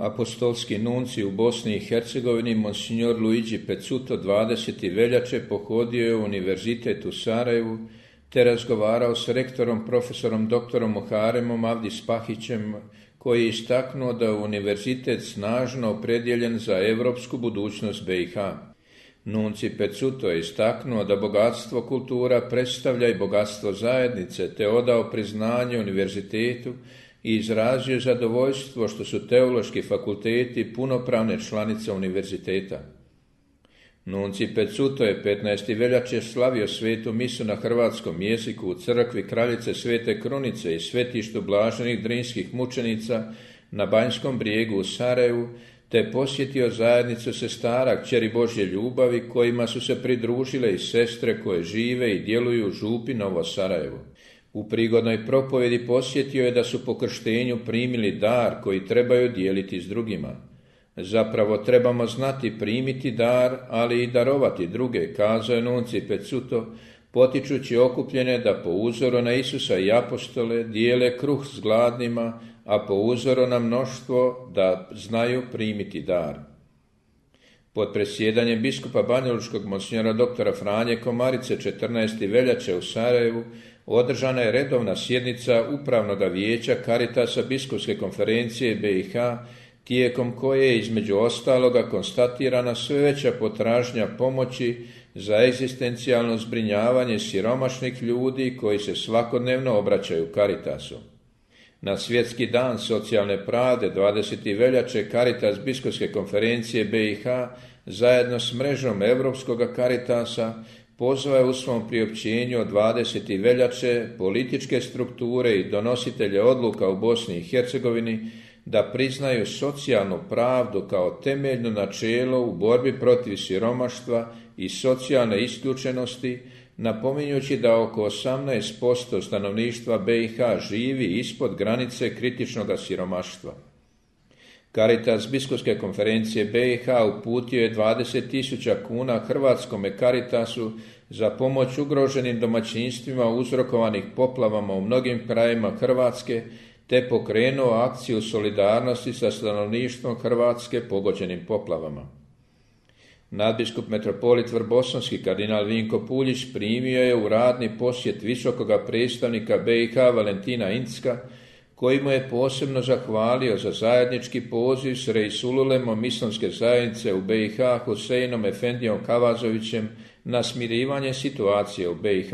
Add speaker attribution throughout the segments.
Speaker 1: apostolski nunci u Bosni i Hercegovini, monsignor Luigi Pezzuto, 20. veljače pohodio je Univerzitet u Sarajevu te razgovarao s rektorom, profesorom doktorom Muharemom Avdis Pahićem, koji je istaknuo da je univerzitet snažno opredjeljen za europsku budućnost BiH. Nunci Pezzuto je istaknuo da bogatstvo kultura predstavlja i bogatstvo zajednice, te odao priznanje univerzitetu i izrazio zadovoljstvo što su teološki fakulteti punopravne članice univerziteta. Nunci Pezzuto je 15. veljače slavio svetu misu na hrvatskom jeziku u crkvi Kraljice Svete Krunice i svetištu blaženih drinskih mučenica na Banjskom brijegu u Sarajevu, te posjetio zajednicu sestara Kćeri Božje ljubavi, kojima su se pridružile i sestre koje žive i djeluju u župi Novo Sarajevo. U prigodnoj propovjedi posjetio je da su po krštenju primili dar koji trebaju dijeliti s drugima. Zapravo trebamo znati primiti dar, ali i darovati druge, kazao je nunci Pezzuto, potičući okupljene da po uzoru na Isusa i apostole dijele kruh s gladnima, a po uzoru na mnoštvo da znaju primiti dar. Pod presjedanjem biskupa banjalučkog monsignora doktora Franje Komarice 14. veljače u Sarajevu održana je redovna sjednica Upravnog vijeća Caritasa biskupske konferencije BiH, tijekom koje je između ostaloga konstatirana sve veća potražnja pomoći za egzistencijalno zbrinjavanje siromašnih ljudi koji se svakodnevno obraćaju Caritasu. Na Svjetski dan socijalne pravde 20. veljače Caritas biskupske konferencije BiH zajedno s mrežom Europskog Caritasa pozvao je u svom priopćenju od 20. veljače političke strukture i donositelje odluka u Bosni i Hercegovini da priznaju socijalnu pravdu kao temeljno načelo u borbi protiv siromaštva i socijalne isključenosti, napominjući da oko 18% stanovništva BiH živi ispod granice kritičnog siromaštva. Caritas biskupske konferencije BiH uputio je 20.000 kuna Hrvatskome Caritasu za pomoć ugroženim domaćinstvima uzrokovanih poplavama u mnogim krajevima Hrvatske, te pokrenuo akciju solidarnosti sa stanovništvom Hrvatske pogođenim poplavama. Nadbiskup metropolit Vrbosanski kardinal Vinko Puljić primio je u radni posjet visokoga predstavnika BiH Valentina Incka, koji mu je posebno zahvalio za zajednički poziv s Reisululem islamske zajednice u BiH Huseinom Efendijom Kavazovićem na smirivanje situacije u BiH.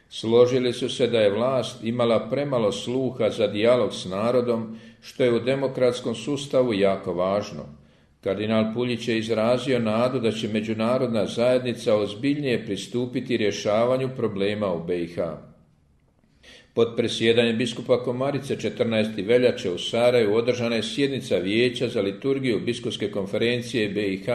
Speaker 1: Složili su se da je vlast imala premalo sluha za dijalog s narodom, što je u demokratskom sustavu jako važno. Kardinal Puljić je izrazio nadu da će međunarodna zajednica ozbiljnije pristupiti rješavanju problema u BiH. Pod presjedanjem biskupa Komarice 14. veljače u Sarajevu održana je sjednica Vijeća za liturgiju biskupske konferencije BiH,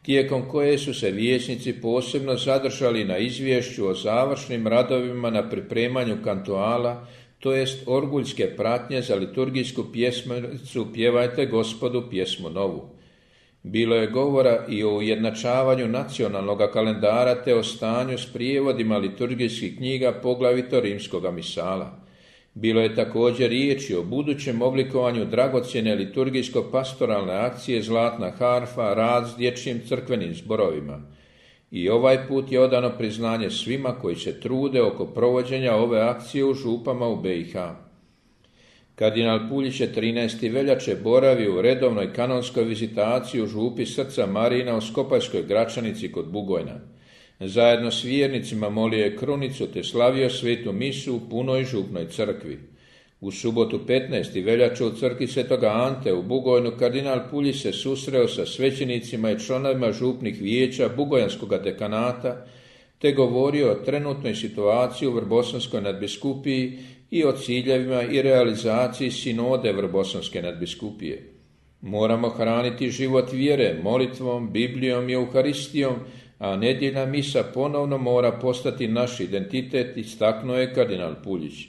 Speaker 1: tijekom koje su se vijećnici posebno zadržali na izvješću o završnim radovima na pripremanju kantuala, to jest orguljske pratnje za liturgijsku pjesmicu Pjevajte Gospodu pjesmu novu. Bilo je govora i o ujednačavanju nacionalnog kalendara te o stanju s prijevodima liturgijskih knjiga, poglavito rimskoga misala. Bilo je također riječi o budućem oblikovanju dragocjene liturgijsko-pastoralne akcije Zlatna harfa, rad s dječjim crkvenim zborovima. I ovaj put je odano priznanje svima koji se trude oko provođenja ove akcije u župama u BiH. Kardinal Puljić je 13. veljače boravio u redovnoj kanonskoj vizitaciji u župi Srca Marina u Skopajskoj Gračanici kod Bugojna. Zajedno s vjernicima molio je krunicu te slavio svetu misu u punoj župnoj crkvi. U subotu 15. veljače u crkvi Svetoga Ante u Bugojnu kardinal Puljić se susreo sa svećenicima i članovima župnih vijeća Bugojanskog dekanata te govorio o trenutnoj situaciji u Vrbosanskoj nadbiskupiji i o ciljevima i realizaciji sinode Vrbosanske nadbiskupije. Moramo hraniti život vjere molitvom, Biblijom i Euharistijom, a nedjeljna misa ponovno mora postati naš identitet, istaknuo je kardinal Puljić.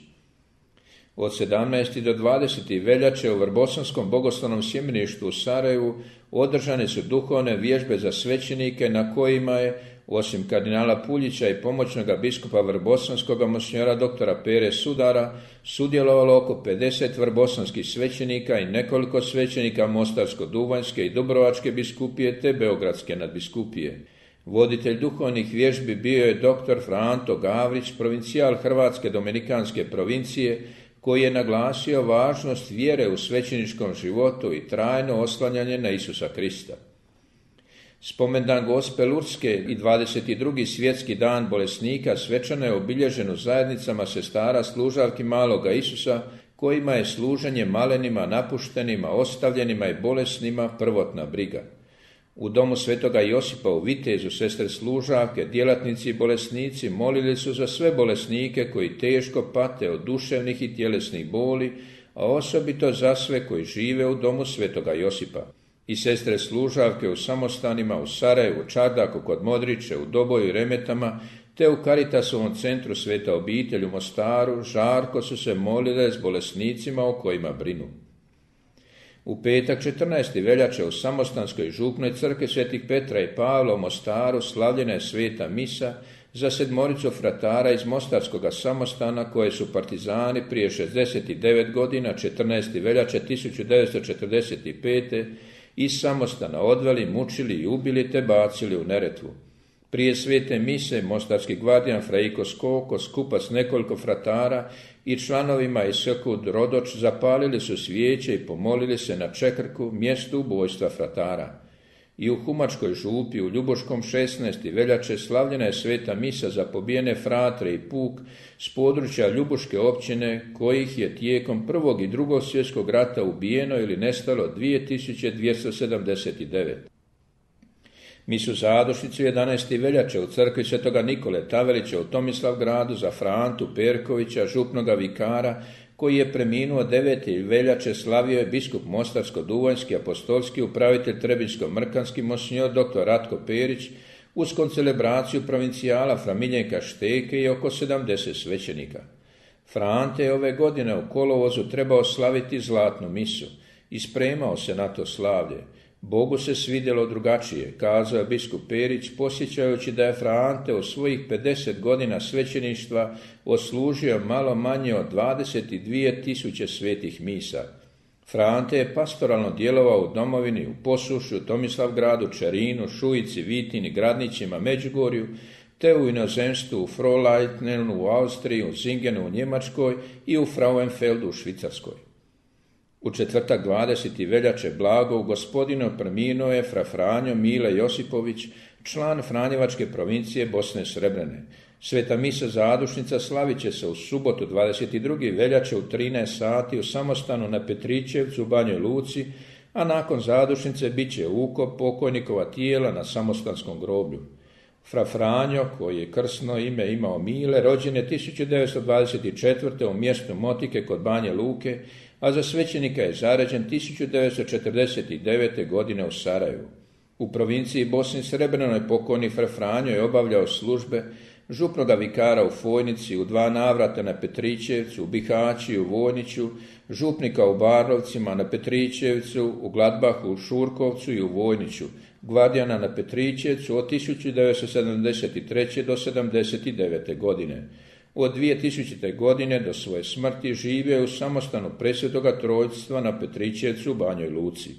Speaker 1: Od 17. do 20. veljače u Vrbosanskom bogoslovnom sjemeništu u Sarajevu održane su duhovne vježbe za svećenike na kojima je Osim kardinala Puljića i pomoćnoga biskupa vrbosanskoga monsinjora doktora Pere Sudara, sudjelovalo oko 50 vrbosanskih svećenika i nekoliko svećenika Mostarsko-duvanjske i Dubrovačke biskupije te Beogradske nadbiskupije. Voditelj duhovnih vježbi bio je dr. Franto Gavrić, provincijal Hrvatske dominikanske provincije, koji je naglasio važnost vjere u svećeničkom životu i trajno oslanjanje na Isusa Krista. Spomendan Gospe Lurdske i 22. svjetski dan bolesnika svečano je obilježen u zajednicama sestara služavki maloga Isusa, kojima je služenje malenima, napuštenima, ostavljenima i bolesnima prvotna briga. U domu svetoga Josipa u Vitezu sestre služavke, djelatnici i bolesnici molili su za sve bolesnike koji teško pate od duševnih i tjelesnih boli, a osobito za sve koji žive u domu svetoga Josipa. I sestre služavke u samostanima u Sarajevu, Čardaku kod Modriće, u Doboju i Remetama, te u Karitasovom centru Sveta obitelj u Mostaru, žarko su se molile s bolesnicima o kojima brinu. U petak 14. veljače u Samostanskoj župnoj crkvi Svetih Petra i Pavla u Mostaru slavljena je sveta misa za 7 fratara iz Mostarskoga samostana koje su partizani prije 69 godina 14. veljače 1945. iz samostana odveli, mučili i ubili te bacili u Neretvu. Prije svete mise mostarski gvardijan Frejko Skoko skupa s nekoliko fratara i članovima iz Skud Rodoč zapalili su svijeće i pomolili se na Čekrku, mjestu ubojstva fratara. I u Humačkoj župi u Ljubuškom 16. veljače slavljena je sveta misa za pobijene fratre i puk s područja Ljubuške općine, kojih je tijekom Prvog i Drugog svjetskog rata ubijeno ili nestalo 2279. Misu zadušnicu 11. veljače u crkvi svetoga Nikole Tavelića u Tomislavgradu za Frantu Perkovića, župnoga vikara, koji je preminuo 9. veljače, slavio je biskup Mostarsko-duvanjski apostolski upravitelj Trebinjsko-mrkanski monsinjor dr. Ratko Perić uz koncelebraciju provincijala Fra Miljenka Šteke i oko 70 svećenika. Frante je ove godine u kolovozu trebao slaviti zlatnu misu i spremao se na to slavlje. Bogu se svidjelo drugačije, kazao je biskup Perić, posjećajući da je Frante u svojih 50 godina svećeništva odslužio malo manje od 22.000 svetih misa. Frante je pastoralno djelovao u domovini, u Posušju, Tomislavgradu, Čerinu, Šujici, Vitini, Gradnićima, Međugorju, te u inozemstvu u Frohleitnenu u Austriji, u Zingenu u Njemačkoj i u Frauenfeldu u Švicarskoj. U četvrtak 20. veljače blago u Gospodinu preminuo je fra Franjo Mile Josipović, član Franjevačke provincije Bosne Srebrene. Sveta misa zadušnica slavit će se u subotu 22. veljače u 13 sati u samostanu na Petričevcu u Banjoj Luci, a nakon zadušnice bit će ukop pokojnikova tijela na samostanskom groblju. Fra Franjo, koji je krsno ime imao Mile, rođen je 1924. u mjestu Motike kod Banje Luke, a za svećenika je zaređen 1949. godine u Sarajevu. U provinciji Bosni Srebrenoj pokojni Fra Franjo je obavljao službe župnoga vikara u Fojnici, u 2 navrata na Petričevcu, u Bihaći, u Vojniću, župnika u Barlovcima, na Petričevcu, u Gladbahu, u Šurkovcu i u Vojniću, gvardijana na Petričevcu od 1973. do 1979. godine. Od 2000. godine do svoje smrti živio je u samostanu Presvetoga Trojstva na Petričevcu u Banjoj Luci.